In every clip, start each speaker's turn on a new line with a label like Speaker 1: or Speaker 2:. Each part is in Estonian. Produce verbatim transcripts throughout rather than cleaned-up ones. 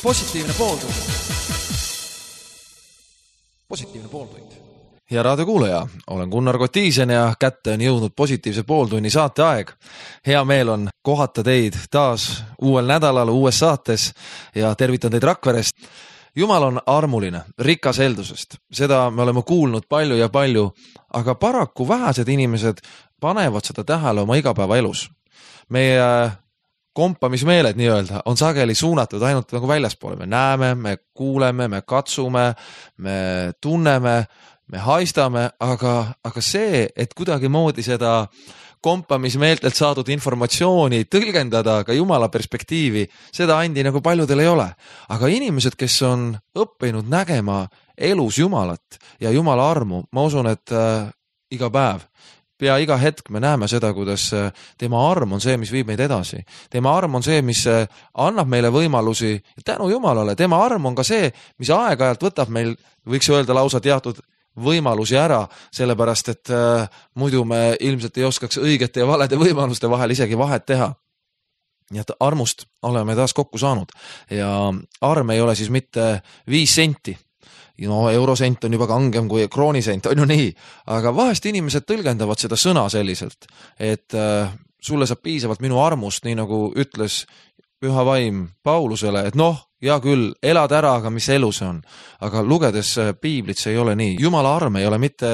Speaker 1: Positiivne pooltund. Positiivne pooltund.
Speaker 2: Ja raadiokuulaja, olen Gunnar Kotiisen ja kätte on jõudnud positiivse pooltunni saate aeg. Hea meel on kohata teid taas uuel nädalal uues saates ja tervitan teid Rakverest. Jumal on armuline, rikas heldusest. Seda me oleme kuulnud palju ja palju, aga paraku vähesed inimesed panevad seda tähele oma igapäeva elus. Meie kompamismeeled nii-öelda on sageli suunatud ainult nagu väljaspoole. Me näeme, me kuuleme, me katsume, me tunneme, me haistame, aga, aga see, et kuidagi moodi seda kompamismeeltelt saadud informatsiooni tõlgendada ka Jumala perspektiivi, seda andi nagu paljudel ei ole. Aga inimesed, kes on õppinud nägema elus Jumalat ja Jumala armu, ma usun, et äh, iga päev, pea iga hetk me näeme seda, kuidas tema arm on see, mis viib meid edasi. Tema arm on see, mis annab meile võimalusi ja tänu Jumalale. Tema arm on ka see, mis aeg-ajalt võtab meil, võiks öelda lausa teatud võimalusi ära, sellepärast, et äh, muidu me ilmselt ei oskaks õigete ja valede võimaluste vahel isegi vahet teha. Nii et armust oleme taas kokku saanud ja arm ei ole siis mitte viis senti. No eurosent on juba kangem kui kroonisent, on ju nii, aga vahest inimesed tõlgendavad seda sõna selliselt, et äh, sulle saab piisavalt minu armust, nii nagu ütles Püha Vaim Paulusele, et noh, ja küll, elad ära, aga mis elu see on. Aga lugedes piiblit see ei ole nii. Jumala arm ei ole mitte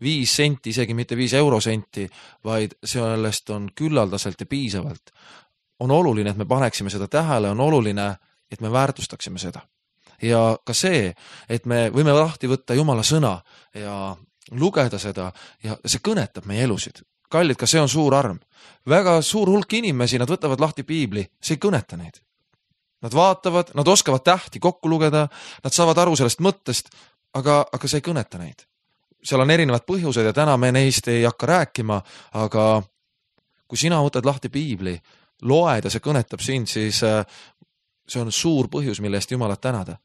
Speaker 2: viis senti, isegi mitte viis eurosenti, vaid sellest on küllaldaselt ja piisavalt. On oluline, et me paneksime seda tähele, on oluline, et me väärtustaksime seda. Ja ka see, et me võime lahti võtta Jumala sõna ja lugeda seda ja see kõnetab meie elusid. Kallid, ka see on suur arm. Väga suur hulk inimesi, nad võtavad lahti piibli, see ei kõneta neid. Nad vaatavad, nad oskavad tähti kokku lugeda, nad saavad aru sellest mõttest, aga, aga see ei kõneta neid. Seal on erinevad põhjused ja täna me neist ei hakka rääkima, aga kui sina võtad lahti piibli, loed ja see kõnetab sind, siis see on suur põhjus, mille eest Jumalat tänada.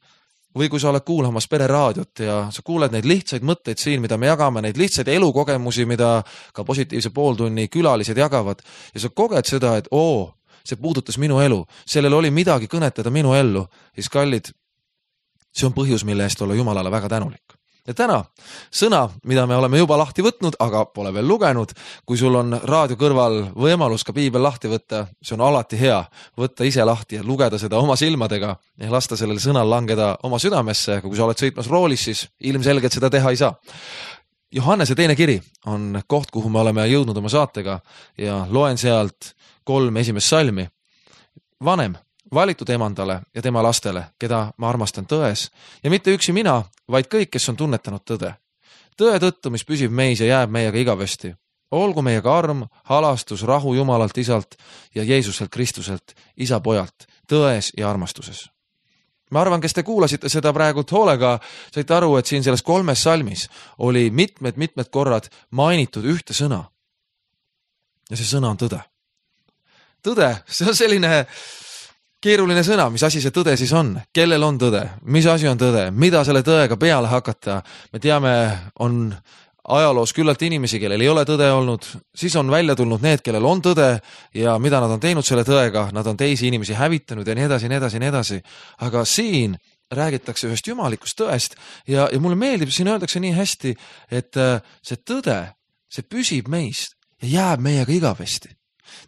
Speaker 2: Või kui sa oled kuulamas pereraadiot ja sa kuuled neid lihtsaid mõtteid siin, mida me jagame, neid lihtsaid elukogemusi, mida ka positiivse pooltunni külalised jagavad ja sa koged seda, et oo, see puudutas minu elu, sellel oli midagi kõnetada minu ellu, siis kallid, see on põhjus, mille eest olla Jumalale väga tänulik. Ja täna sõna, mida me oleme juba lahti võtnud, aga pole veel lugenud, kui sul on raadio kõrval võimalus ka piibel lahti võtta, see on alati hea, võtta ise lahti ja lugeda seda oma silmadega ja lasta sellel sõnal langeda oma südamesse, kui sa oled sõitmas roolis, siis ilmselgelt seda teha ei saa. Johannese teine kiri on koht, kuhu me oleme jõudnud oma saatega ja loen sealt kolm esimest salmi. Vanem, valitud emandale ja tema lastele, keda ma armastan tões, ja mitte üksi mina, vaid kõik, kes on tunnetanud tõde. Tõe tõttu, mis püsib meis ja jääb meiega igavesti. Olgu meiega arm, halastus, rahu Jumalalt Isalt ja Jeesuselt Kristuselt, Isa pojalt, tões ja armastuses. Ma arvan, kes te kuulasite seda praegult hoolega, saite aru, et siin selles kolmes salmis oli mitmed-mitmed korrad mainitud ühte sõna. Ja see sõna on tõde. Tõde, see on selline keeruline sõna, mis asi see tõde siis on, kellel on tõde, mis asi on tõde, mida selle tõega peale hakata. Me teame, on ajaloos küllalt inimesi, kellel ei ole tõde olnud, siis on välja tulnud need, kellel on tõde ja mida nad on teinud selle tõega, nad on teisi inimesi hävitanud ja nii edasi, nii edasi, nii edasi. Aga siin räägitakse ühest jumalikust tõest ja, ja mulle meeldib, siin öeldakse nii hästi, et see tõde, see püsib meist ja jääb meiega igavesti.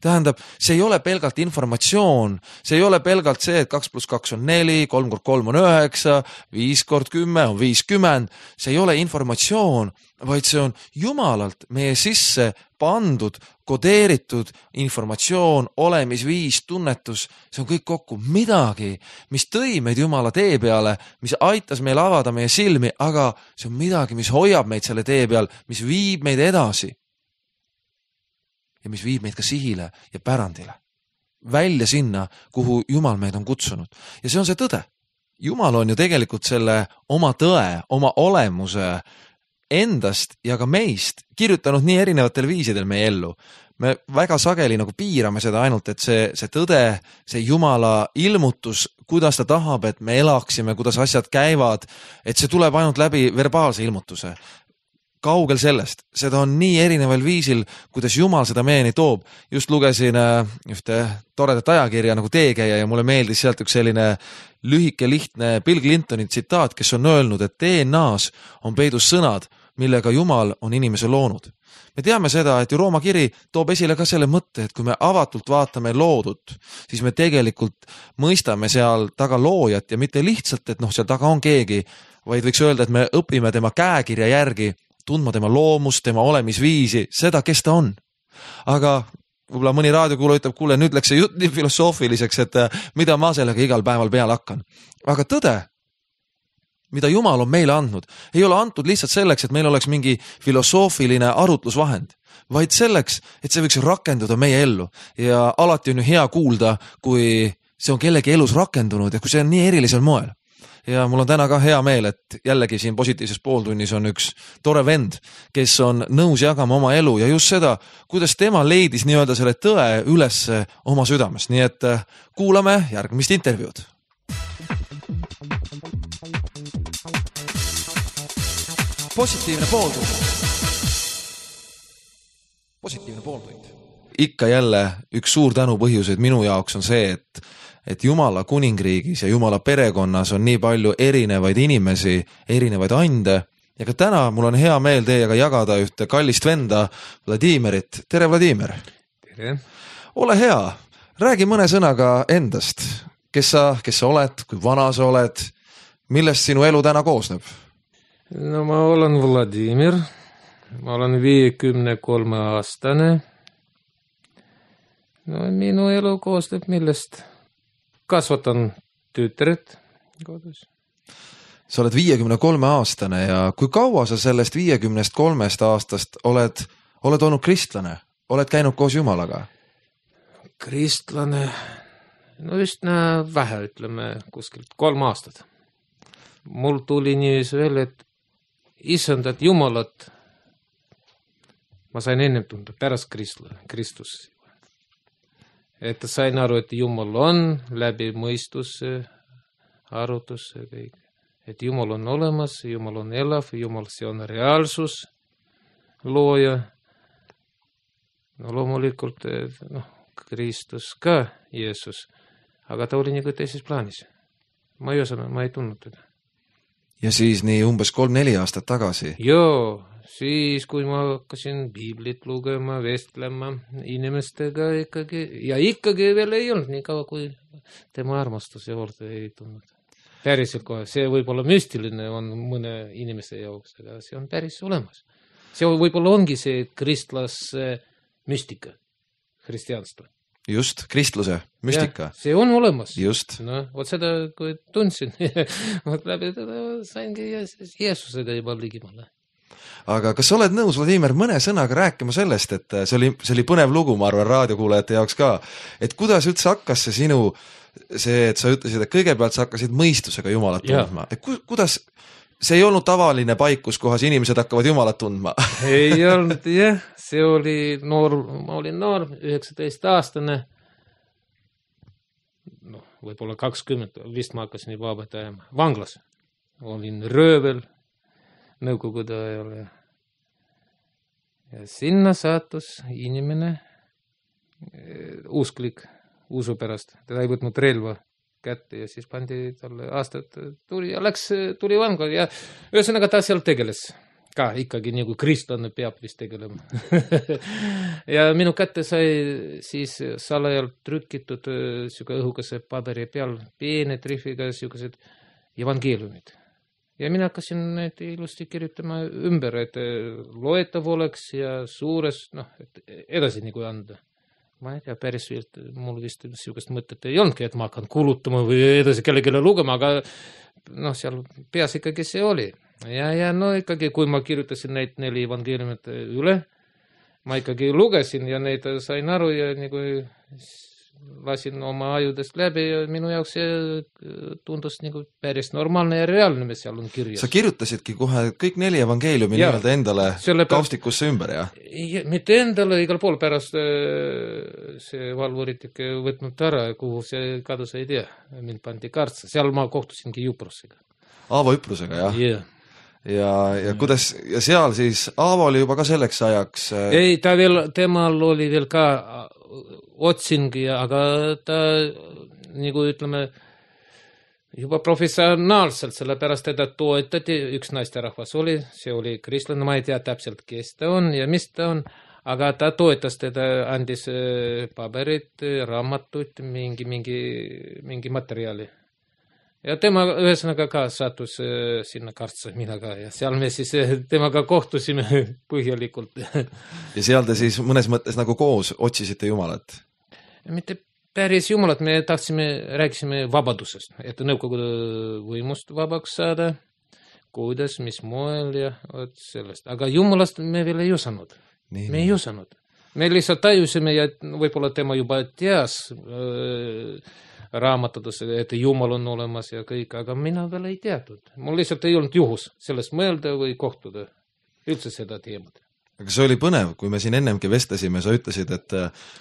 Speaker 2: Tähendab, see ei ole pelgalt informatsioon, see ei ole pelgalt see, et kaks pluss kaks on neli, kolm kord kolm on üheksa, viis kord kümme on viiskümmend, see ei ole informatsioon, vaid see on Jumalalt meie sisse pandud, kodeeritud informatsioon, olemisviis, tunnetus, see on kõik kokku midagi, mis tõi meid Jumala tee peale, mis aitas meil avada meie silmi, aga see on midagi, mis hoiab meid selle tee peal, mis viib meid edasi. Ja mis viib meid ka sihile ja pärandile. Välja sinna, kuhu Jumal meid on kutsunud. Ja see on see tõde. Jumal on ju tegelikult selle oma tõe, oma olemuse endast ja ka meist kirjutanud nii erinevatel viisidel meie ellu. Me väga sageli nagu piirame seda ainult, et see, see tõde, see Jumala ilmutus, kuidas ta tahab, et me elaksime, kuidas asjad käivad, et see tuleb ainult läbi verbaalse ilmutuse. kaugel sellest, seda on nii erineval viisil, kuidas Jumal seda meieni toob. Just lugesin ühte toredat ajakirja nagu Teekäija ja mulle meeldis sealt üks selline lühike lihtne Bill Clintoni tsitaat, kes on öelnud, et D N A-s on peidus sõnad, millega Jumal on inimese loonud. Me teame seda, et ju Rooma kiri toob esile ka selle mõtte, et kui me avatult vaatame loodut, siis me tegelikult mõistame seal taga loojat ja mitte lihtsalt, et noh, seal taga on keegi, vaid võiks öelda, et me õpime tema käekirja järgi, tundma tema loomust, tema olemisviisi, seda, kes ta on. Aga võib-olla mõni raadiokuulaja ütleb, kuule, nüüd läks see jutt nii filosoofiliseks, et mida ma sellega igal päeval peale hakkan. Aga tõde, mida Jumal on meile andnud, ei ole antud lihtsalt selleks, et meil oleks mingi filosoofiline arutlusvahend, vaid selleks, et see võiks rakenduda meie ellu. Ja alati on ju hea kuulda, kui see on kellegi elus rakendunud ja kui see on nii erilisel moel. Ja mul on täna ka hea meel, et jällegi siin positiivses pooltunnis on üks tore vend, kes on nõus jagama oma elu ja just seda, kuidas tema leidis nii-öelda selle tõe üles oma südames. Nii et kuulame järgmist intervjuud.
Speaker 1: Positiivne pooltund. Positiivne pooltund.
Speaker 2: Ikka jälle üks suur tänu põhjuseid minu jaoks on see, et et Jumala kuningriigis ja Jumala perekonnas on nii palju erinevaid inimesi, erinevaid ande ja ka täna mul on hea meel teiega jagada ühte kallist venda Vladimirit. Tere, Vladimir!
Speaker 3: Tere!
Speaker 2: Ole hea, räägi mõne sõnaga endast. Kes sa, kes sa oled, kui vana sa oled, millest sinu elu täna koosneb?
Speaker 3: No ma olen Vladimir, ma olen viiekümne kolme aastane. No minu elu koosneb millest? Kasvatan tütret kodus.
Speaker 2: Sa oled viiekümne kolme aastane ja kui kaua sa sellest viiekümnest kolmest aastast oled, oled olnud kristlane? Oled käinud koos Jumalaga?
Speaker 3: Kristlane, no just nää vähe ütleme kuskilt kolm aastat. Mul tuli nii veel, et isandat Jumalat ma sain ennem tunda pärast Kristus. Et sain aru, et Jumal on läbi mõistuse, arutuse kõik. Et Jumal on olemas, Jumal on elav, Jumal see on reaalsus, looja. No loomulikult, noh, Kristus ka, Jeesus, aga ta oli nagu teises plaanis. Ma ei osanud, ma ei tundnud teda.
Speaker 2: Ja siis nii umbes kolm-neli aastat tagasi?
Speaker 3: Joo, siis kui ma hakkasin Biiblit lugema, vestlema inimestega ikkagi, ja ikkagi veel ei olnud nii kaua, kui tema armastuse juurde ei tundnud. Päriselt kohe, see võib-olla müstiline on mõne inimese jaoks, aga see on päris olemas. See võib-olla ongi see kristlas müstika, hristianstva.
Speaker 2: Just, kristluse, müstika.
Speaker 3: Ja, see on olemas.
Speaker 2: Just.
Speaker 3: No, vot seda, kui tundsin, vot läbi teda saingi Jeesusega juba ligimale.
Speaker 2: Aga kas sa oled nõus, Vladimir, mõne sõnaga rääkima sellest, et see oli, see oli põnev lugu, ma arvan, raadiokuulajate jaoks ka, et kuidas üldse hakkas see sinu, see, et sa ütlesid, et kõigepealt sa hakkasid mõistusega Jumalat tundma. Et ku, kuidas, see ei olnud tavaline paik, kus kohas inimesed hakkavad Jumalat tundma?
Speaker 3: Ei olnud, jah. See oli noor, ma olin noor, üheksateist aastane. No, võib-olla kakskümmend, vist ma hakkasin juba vabataema. Vanglas. Olin röövel, nõukogude ajal. Ja sinna saatus inimene, usklik, usu pärast. Ta ei võtnud relva kätte ja siis pandi talle aastat tuli ja läks, tuli vangla ja ühesõnaga ta seal tegeles. Ka ikkagi nagu kristlane peab vist tegelema. Ja minu kätte sai siis salajal trükitud siuke õhukese paberi peal peene trifiga siukesed evangeeliumid. Ja mina hakkasin need ilusti kirjutama ümber, et loetav oleks ja suures, noh, et edasi nagu anda. Ma ei tea, päris viilt, mul vist siukest mõtet ei olnudki, et ma hakkan kulutama või edasi kellelegi lugema, aga noh, seal peas ikkagi see oli. Ja, ja no ikkagi, kui ma kirjutasin neid neli evangeeliumit üle, ma ikkagi lugesin ja neid sain aru ja nagu lasin oma ajudest läbi ja minu jaoks see tundus nagu päris normaalne ja reaalne, mis seal on kirjas.
Speaker 2: Sa kirjutasidki kohe kõik neli evangeeliumi ja, nii-öelda endale selle kaustikusse ümber, jah?
Speaker 3: Mitte endale, igal pool pärast see valvurit ikka võtnud ära, kuhu see kadus ei tea, mind pandi kartsa. Seal ma kohtusingi Juprusega.
Speaker 2: Aavo Üprusega, jah?
Speaker 3: Jah.
Speaker 2: ja, ja kuidas, ja seal siis Aavo oli juba ka selleks ajaks
Speaker 3: ei, ta veel, temal oli veel ka otsing, aga ta nagu ütleme juba professionaalselt, sellepärast teda toetati, üks naisterahvas oli, see oli kristlane, ma ei tea täpselt, kes ta on ja mis ta on, aga ta toetas teda, andis paberid, raamatut, mingi, mingi, mingi materjali. Ja tema ühesõnaga ka sattus sinna Kartsa, mina ka, ja seal me siis temaga kohtusime põhjalikult.
Speaker 2: Ja seal te siis mõnes mõttes nagu koos otsisite Jumalat?
Speaker 3: Mitte päris Jumalat, me tahtsime, rääkisime vabadusest, et Nõukogude võimust vabaks saada, kuidas, mis moel ja от sellest. Aga Jumalast me veel ei osanud.
Speaker 2: Nii,
Speaker 3: me ei osanud. Me lihtsalt tajusime ja võib-olla tema juba teas äh, raamatades, et Jumal on olemas ja kõik, aga mina veel ei teatud. Mul lihtsalt ei olnud juhus sellest mõelda või kohtuda üldse seda teemat.
Speaker 2: Aga see oli põnev, kui me siin ennemgi vestlesime, sa ütlesid, et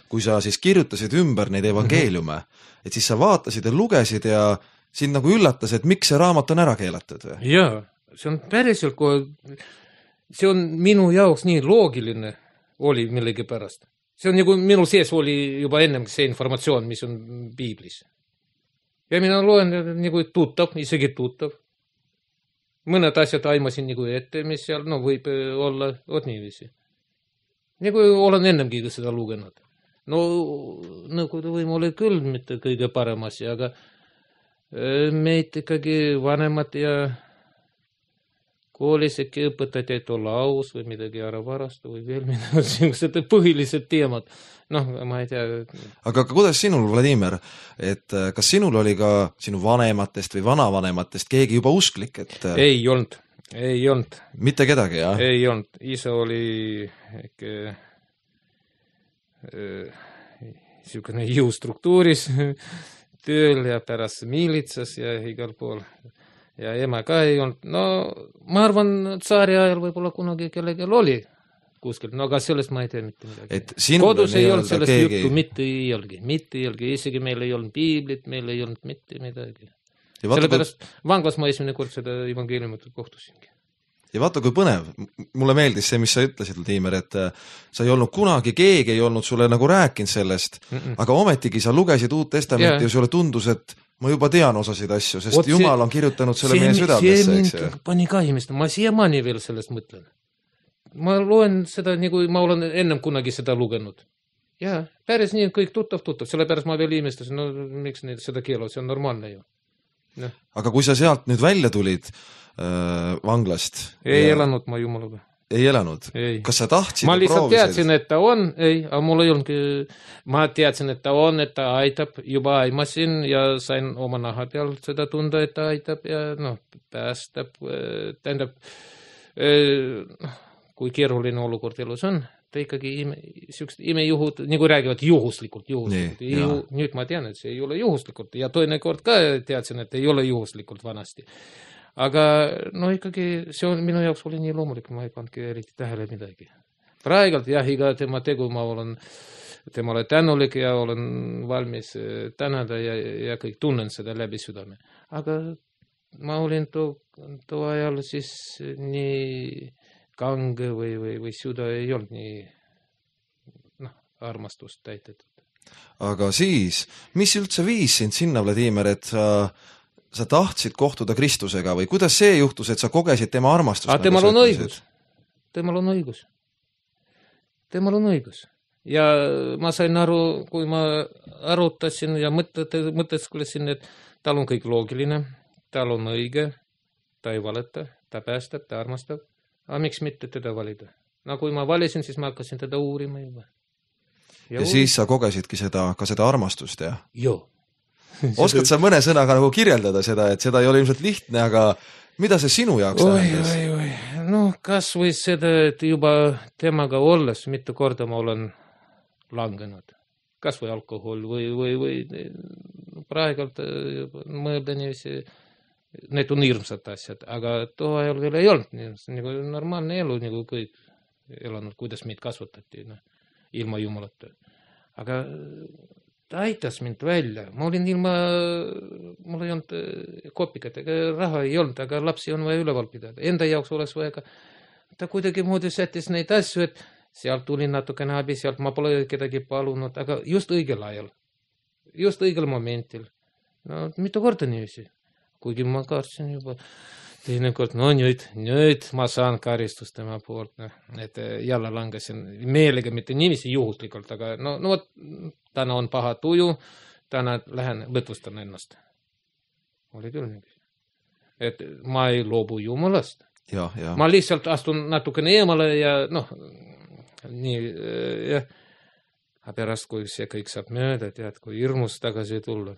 Speaker 2: kui sa siis kirjutasid ümber neid evangeeliume, et siis sa vaatasid ja lugesid ja sind nagu üllatas, et miks see raamat on ära keelatud?
Speaker 3: Jaa, see on päriselt, see on minu jaoks nii loogiline oli millegi pärast. See on nagu minu sees oli juba ennem see informatsioon, mis on Piiblis. Ja mina loen nagu tuttav, isegi tuttav. Mõned asjad aimasin nagu ette, mis seal no, võib olla od niiviisi. Nagu olen ennemgi seda lugenud. No Nõukogude võim oli küll mitte kõige parem asi, aga meid ikkagi vanemad ja koolis äkki õpetati, et olla aus või midagi ära varastu või veel midagi, sellised põhilised teemad. Noh, ma ei tea.
Speaker 2: Aga kuidas sinul, Vladimir, et kas sinul oli ka sinu vanematest või vanavanematest keegi juba usklik? Et...
Speaker 3: Ei olnud, ei olnud.
Speaker 2: Mitte kedagi, jah?
Speaker 3: Ei olnud. Isa oli äkki niisugune jõustruktuuris tööl ja pärast miilitsas ja igal pool. Ja ema ka ei olnud. No ma arvan, tsaari ajal võib-olla kunagi kellelgi oli kuskil, no aga sellest ma ei tea mitte midagi. Kodus ei olnud sellest keegi... juttu, mitte ei olgi, mitte ei olgi, isegi meil ei olnud piiblit, meil ei olnud mitte midagi. Sellepärast kui... vanglas ma esimene kord seda evangeeliumit kohtusingi.
Speaker 2: Ja vaata, kui põnev, mulle meeldis see, mis sa ütlesid, Vladimir, et sa ei olnud kunagi, keegi ei olnud sulle nagu rääkinud sellest, mm -mm. aga ometigi sa lugesid Uut Testamenti ja, ja sulle tundus, et ma juba tean osasid asju, sest Oot, Jumal see, on kirjutanud selle see, meie südamesse.
Speaker 3: See mind pani ka imest, ma siiamaani veel sellest mõtlen. Ma loen seda, nagu ma olen ennem kunagi seda lugenud. Ja, päris nii kõik tuttav, tuttav, sellepärast ma veel imestasin, no miks neid seda keelavad, see on normaalne ju. No.
Speaker 2: Aga kui sa sealt nüüd välja tulid äh, vanglast?
Speaker 3: Ei
Speaker 2: ja...
Speaker 3: elanud ma Jumalaga.
Speaker 2: Ei elanud? Ei. Kas sa tahtsid?
Speaker 3: Ma lihtsalt teadsin, et ta on, ei, aga mul ei olnudki, ma teadsin, et ta on, et ta aitab, juba aimasin ja sain oma naha peal seda tunda, et ta aitab ja noh, päästab, tähendab, kui keeruline olukord elus on, ta ikkagi ime, imejuhud, nagu räägivad juhuslikult, juhuslikult.
Speaker 2: Nii,
Speaker 3: Juhu, nüüd ma tean, et see ei ole juhuslikult ja toine kord ka teadsin, et ei ole juhuslikult vanasti. Aga no ikkagi see on, minu jaoks oli nii loomulik, ma ei pannudki eriti tähele midagi. Praegult jah, iga tema tegu ma olen temale tänulik ja olen valmis tänada ja, ja kõik tunnen seda läbi südame. Aga ma olin too, too ajal siis nii kange või, või, või süda ei olnud nii noh, armastust täitetud.
Speaker 2: Aga siis, mis üldse viis sind sinna, Vladimir, et sa, sa tahtsid kohtuda Kristusega või kuidas see juhtus, et sa kogesid tema armastust?
Speaker 3: Aga temal on õigus. Temal on õigus. Temal on õigus. Ja ma sain aru, kui ma arutasin ja mõtlesin, et tal on kõik loogiline, tal on õige, ta ei valeta, ta päästab, ta armastab. Aga miks mitte teda valida? No kui ma valisin, siis ma hakkasin teda uurima juba.
Speaker 2: Ja, ja siis sa kogesidki seda, ka seda armastust, jah?
Speaker 3: Joo.
Speaker 2: Oskad sa mõne sõnaga nagu kirjeldada seda, et seda ei ole ilmselt lihtne, aga mida see sinu jaoks tähendas?
Speaker 3: Oi, oi, oi. No kas või seda, et juba temaga olles mitu korda ma olen langenud. Kas või alkohol või, või, või praegult mõelda niiviisi, need on hirmsad asjad, aga too ajal veel ei olnud, nagu normaalne elu, nagu kõik elanud, kuidas meid kasvatati, no, ilma Jumalata. Aga ta aitas mind välja, ma olin ilma, mul ei olnud kopikat, ega raha ei olnud, aga lapsi on vaja üleval pidada, enda jaoks oleks vaja ka, ta kuidagi moodi sättis neid asju, et sealt tuli natukene abi, sealt ma pole kedagi palunud, aga just õigel ajal, just õigel momentil. No mitu korda niiviisi, kuigi ma kartsin juba teinekord, no nüüd, nüüd ma saan karistust tema poolt, no, et jälle langesin meelega, mitte niiviisi juhuslikult, aga no, no võt, täna on paha tuju, täna lähen lõtvustan ennast. Oli küll niiviisi. Et ma ei loobu Jumalast.
Speaker 2: Ja, ja. Ma
Speaker 3: lihtsalt astun natukene eemale ja noh, nii, jah, aga pärast, kui see kõik saab mööda, tead, kui hirmus tagasi tulla.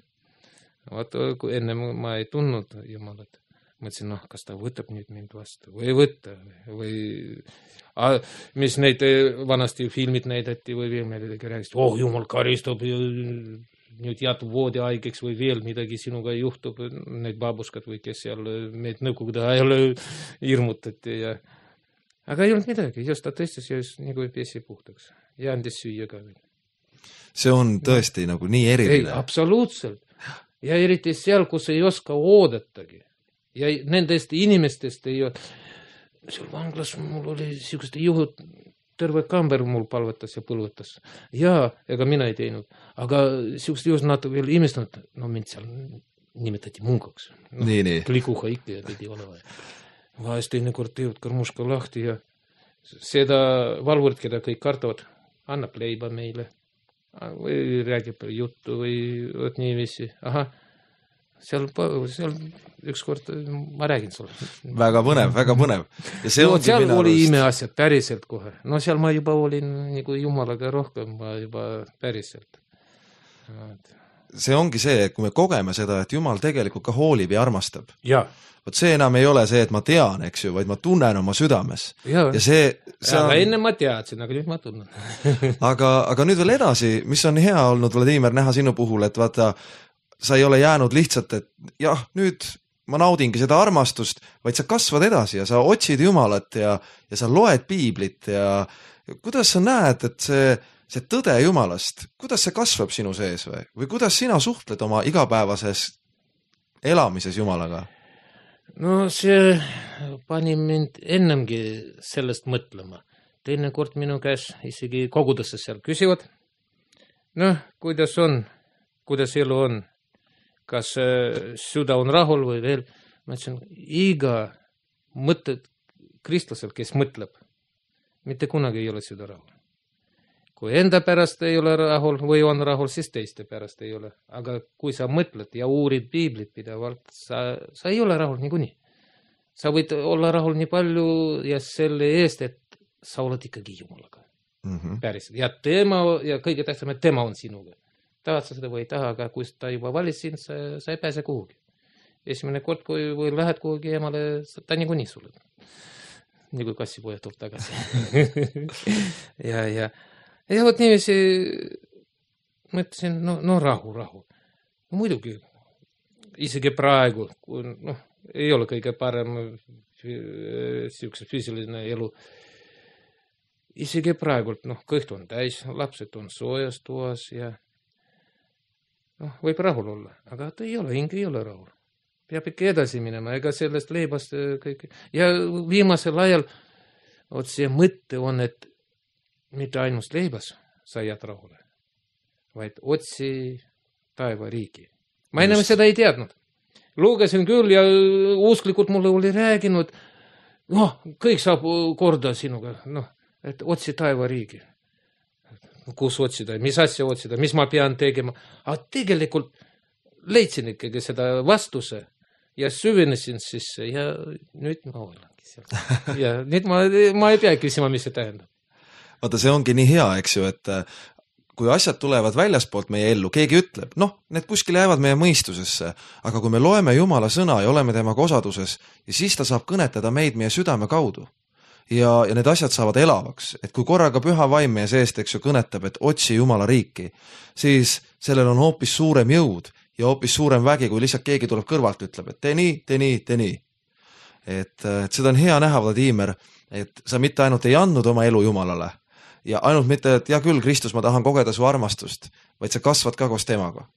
Speaker 3: Vaata, kui enne ma ei tundnud Jumalat. Mõtlesin, noh, kas ta võtab nüüd mind vastu või ei võtta või a, mis neid vanasti filmid näidati või veel midagi rääkist, oh, Jumal karistab ja nüüd jätub voodi haigeks või veel midagi sinuga juhtub, need babuskad või kes seal meid nõukogude ajal hirmutati ja aga ei olnud midagi, just ta tõstis ja just nagu pesi puhtaks ja andis süüa ka veel.
Speaker 2: See on tõesti no. nagu nii eriline.
Speaker 3: Ei, absoluutselt. Ja eriti seal, kus ei oska oodatagi. Ja nendest inimestest ei ole. Seal vanglas mul oli siukeste juhud, terve kamber mul palvetas ja põlvetas. Ja, ega mina ei teinud. Aga siukeste juhud nad veel imestanud, no mind seal nimetati munkaks. No,
Speaker 2: nii, nii.
Speaker 3: Klikuha ikka ja pidi olema. Vahest teinekord teevad karmuška lahti ja seda valvurit, keda kõik kartavad, annab leiba meile. Või räägib juttu või võt niiviisi. Aha, seal, seal ükskord ma räägin sulle.
Speaker 2: Väga põnev, väga põnev. Ja see
Speaker 3: no, seal oli arust... imeasjad päriselt kohe. No seal ma juba olin nagu Jumalaga rohkem, ma juba päriselt.
Speaker 2: See ongi see, et kui me kogeme seda, et Jumal tegelikult ka hoolib ja armastab.
Speaker 3: Ja.
Speaker 2: Vot see enam ei ole see, et ma tean, eks ju, vaid ma tunnen oma südames.
Speaker 3: Ja,
Speaker 2: ja see, see
Speaker 3: aga
Speaker 2: on...
Speaker 3: enne ma teadsin, aga nüüd ma tunnen.
Speaker 2: aga, aga nüüd veel edasi, mis on hea olnud, Vladimir, näha sinu puhul, et vaata, sa ei ole jäänud lihtsalt, et jah, nüüd ma naudingi seda armastust, vaid sa kasvad edasi ja sa otsid Jumalat ja, ja sa loed piiblit ja kuidas sa näed, et see, see tõde Jumalast, kuidas see kasvab sinu sees või? Või kuidas sina suhtled oma igapäevases elamises Jumalaga?
Speaker 3: No see pani mind ennemgi sellest mõtlema. Teine kord minu käes isegi kogudesse seal küsivad. Noh, kuidas on, kuidas elu on, kas süda on rahul või veel. Ma ütlesin, iga mõtted kristlasel, kes mõtleb, mitte kunagi ei ole süda rahul. Kui enda pärast ei ole rahul või on rahul, siis teiste pärast ei ole. Aga kui sa mõtled ja uurid piiblit pidavalt, sa, sa ei ole rahul niikuinii. Sa võid olla rahul nii palju ja selle eest, et sa oled ikkagi Jumalaga. Mm-hmm. Päriselt. Ja tema, ja kõige tähtsam, et tema on sinuga. Tahad sa seda või ei taha, aga kui ta juba valis sind, sa, sa ei pääse kuhugi. Esimene kord, kui või lähed kuhugi emale, ta niikuinii sulle. Nii kui kassipoja tuleb tagasi. ja, ja Ja vot niiviisi mõtlesin, no, no rahu, rahu. No muidugi, isegi praegu, kui noh, ei ole kõige parem siukse füüsiline elu. Isegi praegu, noh, kõht on täis, lapsed on soojas toas ja noh, võib rahul olla, aga ta ei ole, hing ei ole rahul. Peab ikka edasi minema, ega sellest leibast kõik. Ja viimasel ajal oot see mõtte on, et mitte ainult leibas sa jääd rahule, vaid otsi taeva riigi. Ma enam seda ei teadnud. Lugesin küll ja usklikud mulle oli rääginud, noh, kõik saab korda sinuga, noh, et otsi taeva riigi. Kus otsida, mis asja otsida, mis ma pean tegema. Aga tegelikult leidsin ikkagi seda vastuse ja süvenesin sisse ja nüüd ma olengi seal. Ja nüüd ma, ma ei pea küsima, mis see tähendab.
Speaker 2: Vaata, see ongi nii hea, eks ju, et kui asjad tulevad väljaspoolt meie ellu, keegi ütleb, noh, need kuskil jäävad meie mõistusesse, aga kui me loeme Jumala sõna ja oleme temaga osaduses, ja siis ta saab kõnetada meid meie südame kaudu. Ja, ja need asjad saavad elavaks, et kui korraga püha vaim meie seest, eks ju, kõnetab, et otsi Jumala riiki, siis sellel on hoopis suurem jõud ja hoopis suurem vägi, kui lihtsalt keegi tuleb kõrvalt ütleb, et tee nii, tee nii, tee nii. Et, et seda on hea näha, Vladimir, et sa mitte ainult ei andnud oma elu Jumalale, ja ainult mitte, et hea küll, Kristus, ma tahan kogeda su armastust, vaid sa kasvad ka koos temaga.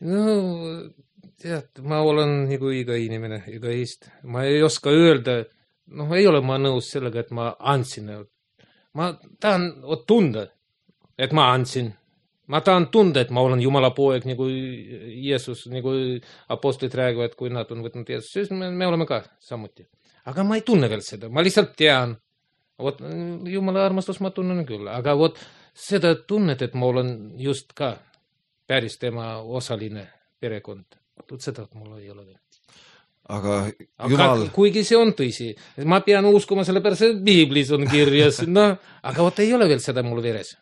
Speaker 3: No tead, ma olen nagu iga inimene, egoist. Ma ei oska öelda, noh, ei ole ma nõus sellega, et ma andsin. Ma tahan tunda, et ma andsin. Ma tahan tunda, et ma olen Jumala poeg, nagu Jeesus, nagu apostlid räägivad, kui nad on võtnud Jeesus, siis me, me oleme ka samuti. Aga ma ei tunne veel seda, ma lihtsalt tean. Vot, Jumala armastus ma tunnen küll, aga vot seda tunnet, et ma olen just ka päris tema osaline perekond. Vot seda mul ei ole veel.
Speaker 2: Aga
Speaker 3: Jumal... Aga, kuigi see on tõsi. Ma pean uskuma selle pärast, et Biiblis on kirjas. No, aga vot ei ole veel seda mul veres.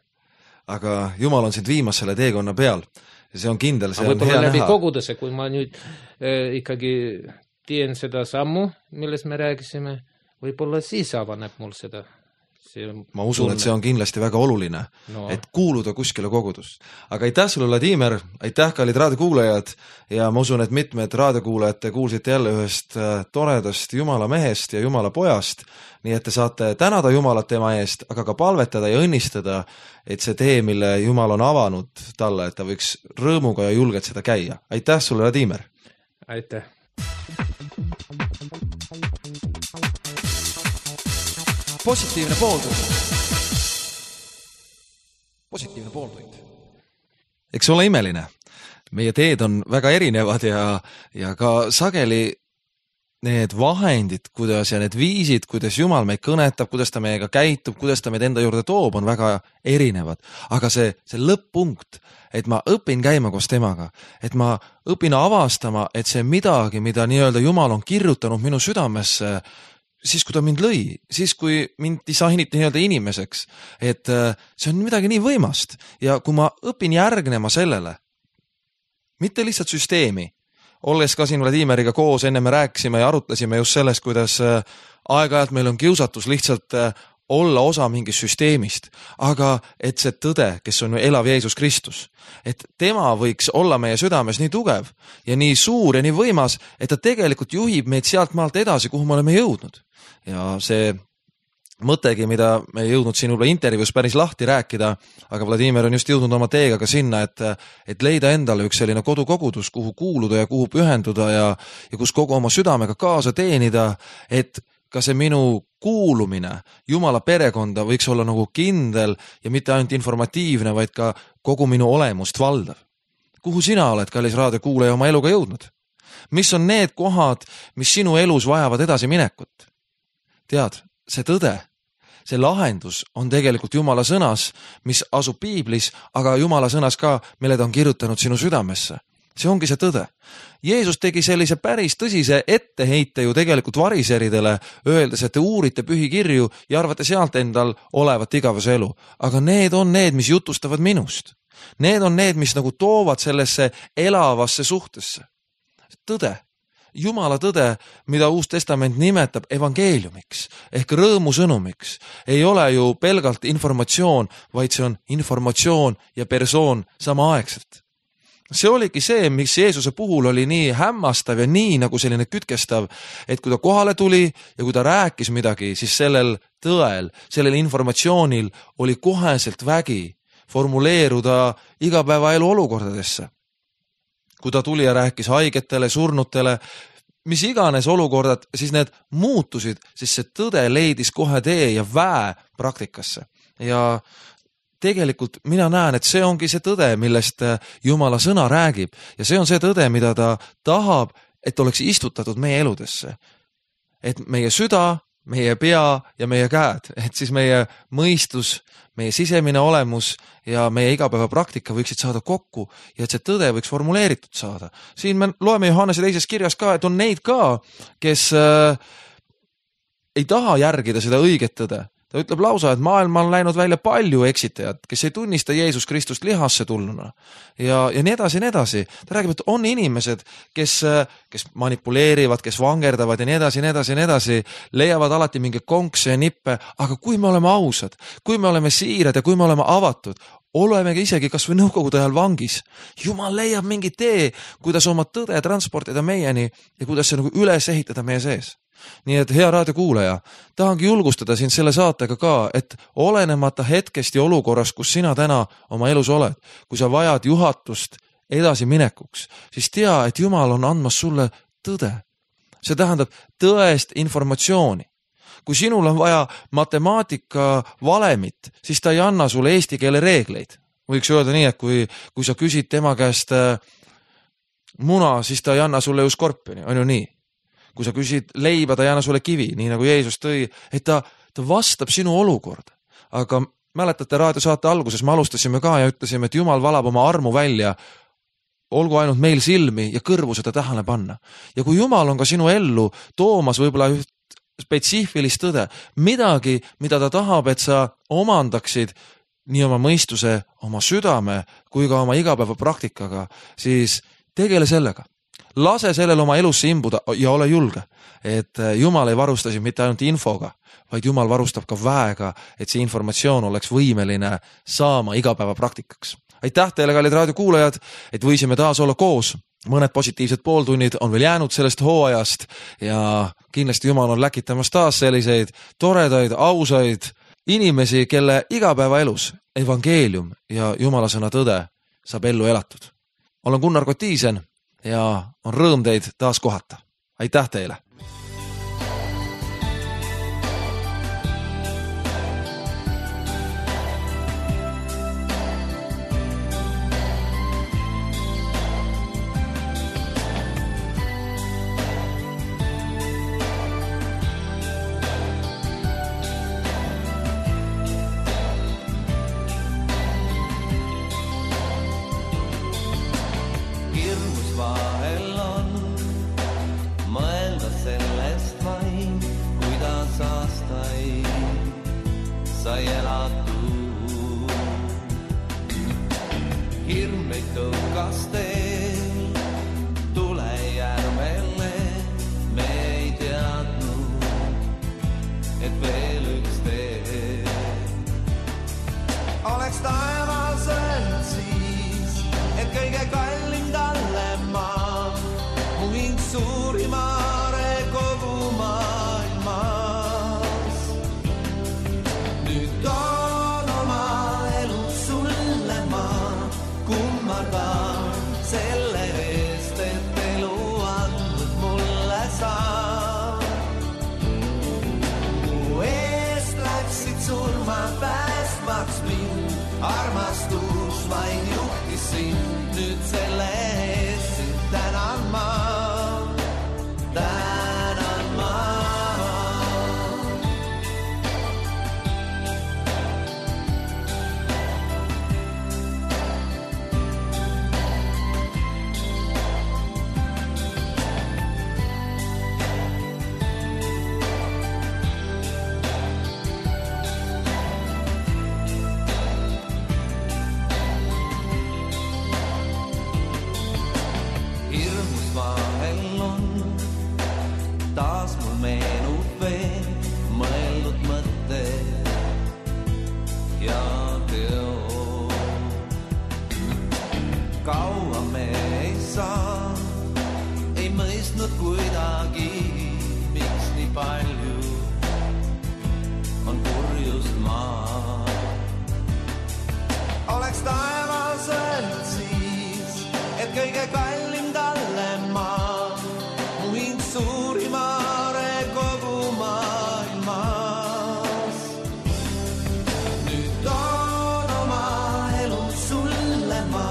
Speaker 2: Aga Jumal on sind viimas selle teekonna peal. See on kindel, see
Speaker 3: aga
Speaker 2: on hea
Speaker 3: läbi
Speaker 2: näha.
Speaker 3: Koguduse, kui ma nüüd äh, ikkagi teen seda sammu, millest me rääkisime, võib-olla siis avaneb mul seda.
Speaker 2: Ma usun, et see on kindlasti väga oluline, no. Et kuuluda kuskile kogudust. Aga aitäh sulle, Vladimir, aitäh, kallid raadiokuulajad, ja ma usun, et mitmed raadiokuulajad kuulsite jälle ühest toredast Jumala mehest ja Jumala pojast, nii et te saate tänada Jumalat tema eest, aga ka palvetada ja õnnistada, et see tee, mille Jumal on avanud talle, et ta võiks rõõmuga ja julgelt seda käia. Aitäh sulle, Vladimir!
Speaker 3: Aitäh!
Speaker 1: Positiivne pooltund. Positiivne pooltund.
Speaker 2: Eks ole imeline. Meie teed on väga erinevad ja, ja ka sageli need vahendid, kuidas ja need viisid, kuidas Jumal meid kõnetab, kuidas ta meiega käitub, kuidas ta meid enda juurde toob, on väga erinevad. Aga see, see lõpp-punkt, et ma õpin käima koos temaga, et ma õpin avastama, et see midagi, mida nii-öelda Jumal on kirjutanud minu südamesse, siis kui ta mind lõi, siis kui mind disainiti nii-öelda inimeseks, et see on midagi nii võimast ja kui ma õpin järgnema sellele, mitte lihtsalt süsteemi, olles ka siin Vladimiriga koos, enne me rääkisime ja arutlesime just sellest, kuidas aeg-ajalt meil on kiusatus lihtsalt olla osa mingist süsteemist, aga et see tõde, kes on ju elav Jeesus Kristus, et tema võiks olla meie südames nii tugev ja nii suur ja nii võimas, et ta tegelikult juhib meid sealt maalt edasi, kuhu me oleme jõudnud. Ja see mõttegi, mida me ei jõudnud siin võib-olla intervjuus päris lahti rääkida, aga Vladimir on just jõudnud oma teega ka sinna, et, et leida endale üks selline kodukogudus, kuhu kuuluda ja kuhu pühenduda ja, ja kus kogu oma südamega kaasa teenida, et ka see minu kuulumine Jumala perekonda võiks olla nagu kindel ja mitte ainult informatiivne, vaid ka kogu minu olemust valdav. Kuhu sina oled, kallis raadiokuulaja, oma eluga jõudnud? Mis on need kohad, mis sinu elus vajavad edasi minekut? Tead, see tõde, see lahendus on tegelikult Jumala sõnas, mis asub Piiblis, aga Jumala sõnas ka, mille ta on kirjutanud sinu südamesse. See ongi see tõde. Jeesus tegi sellise päris tõsise etteheite ju tegelikult variseridele, öeldes, et te uurite pühikirju ja arvate sealt endal olevat igavese elu. Aga need on need, mis jutustavad minust. Need on need, mis nagu toovad sellesse elavasse suhtesse. Tõde. Jumala tõde, mida Uus Testament nimetab evangeeliumiks ehk rõõmusõnumiks, ei ole ju pelgalt informatsioon, vaid see on informatsioon ja persoon samaaegselt. See oligi see, mis Jeesuse puhul oli nii hämmastav ja nii nagu selline kütkestav, et kui ta kohale tuli ja kui ta rääkis midagi, siis sellel tõel, sellel informatsioonil oli koheselt vägi formuleeruda igapäevaelu olukordadesse. Kui ta tuli ja rääkis haigetele, surnutele, mis iganes olukorrad, siis need muutusid, siis see tõde leidis kohe tee ja väe praktikasse. Ja tegelikult mina näen, et see ongi see tõde, millest Jumala sõna räägib ja see on see tõde, mida ta tahab, et oleks istutatud meie eludesse. Et meie süda, meie pea ja meie käed, et siis meie mõistus, meie sisemine olemus ja meie igapäeva praktika võiksid saada kokku ja et see tõde võiks formuleeritud saada. Siin me loeme Johannese teises kirjas ka, et on neid ka, kes äh, ei taha järgida seda õiget tõde. Ta ütleb lausa, et maailma on läinud välja palju eksitajad, kes ei tunnista Jeesus Kristust lihasse tulnuna. Ja, ja nii edasi, nii edasi. Ta räägib, et on inimesed, kes, kes manipuleerivad, kes vangerdavad ja nii edasi, nii edasi, nii edasi, leiavad alati mingi konkse ja nippe, aga kui me oleme ausad, kui me oleme siirad ja kui me oleme avatud, olemegi isegi kas või nõukogude ajal vangis. Jumal leiab mingi tee, kuidas oma tõde transportida meieni ja kuidas see nagu üles ehitada meie sees. Nii et hea raadiokuulaja, tahangi julgustada sind selle saatega ka, et olenemata hetkest ja olukorrast, kus sina täna oma elus oled, kui sa vajad juhatust edasi minekuks, siis tea, et Jumal on andmas sulle tõde. See tähendab tõest informatsiooni. Kui sinul on vaja matemaatika valemit, siis ta ei anna sulle eesti keele reegleid. Võiks öelda nii, et kui, kui sa küsid tema käest muna, siis ta ei anna sulle ju skorpioni, on ju nii. Kui sa küsid leiba, ta ei anna sulle kivi, nii nagu Jeesus tõi, et ta, ta vastab sinu olukorda. Aga mäletate raadiosaate alguses, me alustasime ka ja ütlesime, et Jumal valab oma armu välja, olgu ainult meil silmi ja kõrvu seda tähele panna. Ja kui Jumal on ka sinu ellu toomas võib-olla üht spetsiifilist tõde, midagi, mida ta tahab, et sa omandaksid nii oma mõistuse, oma südame kui ka oma igapäeva praktikaga, siis tegele sellega. Lase sellel oma elusse imbuda ja ole julge, et Jumal ei varusta sind mitte ainult infoga, vaid Jumal varustab ka väega, et see informatsioon oleks võimeline saama igapäeva praktikaks. Aitäh teile, kallid raadiokuulajad, et võisime taas olla koos. Mõned positiivsed pooltunnid on veel jäänud sellest hooajast ja kindlasti Jumal on läkitamas taas selliseid toredaid, ausaid inimesi, kelle igapäevaelus evangeelium ja Jumala sõna tõde saab ellu elatud. Olen Gunnar Kotiisen ja on rõõm teid taas kohata. Aitäh teile!
Speaker 4: sai elatud. Hirm meid tõukas teel, tule järvele, me ei teadnud, et veel üks tee. Oleks taevasel siis, et kõige kallim talle maa, mu hing suurimaare kogu maailmas. Nüüd toon oma elu sulle ma, kummardan selle eest, et elu andnud mulle saa. Mu eest läksid surma päästmaks mind, armastus vain juhtis sind, nüüd selle eest sind tänan ma. Tänan ma. Hirmus vahel on, taas mul meenub veel mõeldud mõtted ja teod. Kaua me ei saa, ei mõistnud kuidagi, miks nii palju on kurjust maa. Oleks taevasel siis, et kõige kallim talle maa, mu hing suurimaare kogu maailmas. Nüüd toon oma elu sulle ma,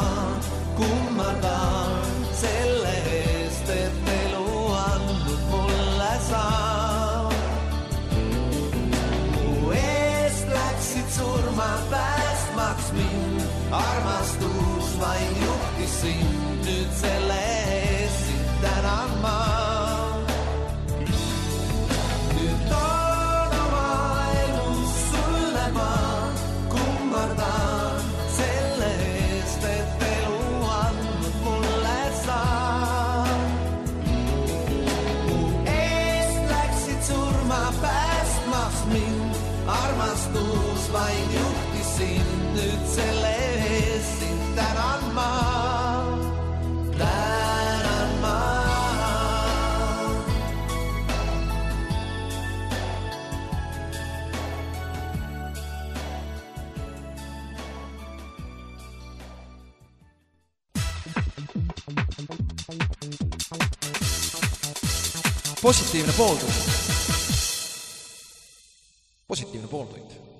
Speaker 4: kummardan selle eest, et elu andnud mulle saa. Mu eest läksid surma päästmaks mind, armastus vain juhtis sind, nüüd selle eest sind tänan ma. Nüüd toon oma elu sulle ma, kummardan selle eest, et elu andnud mulle saa. Mu eest läksid surma päästmaks mind, armastus vain juhtis sind, nüüd selle eest sind tänan ma. Tänan
Speaker 1: positiivne pooltund. positiivne pooltund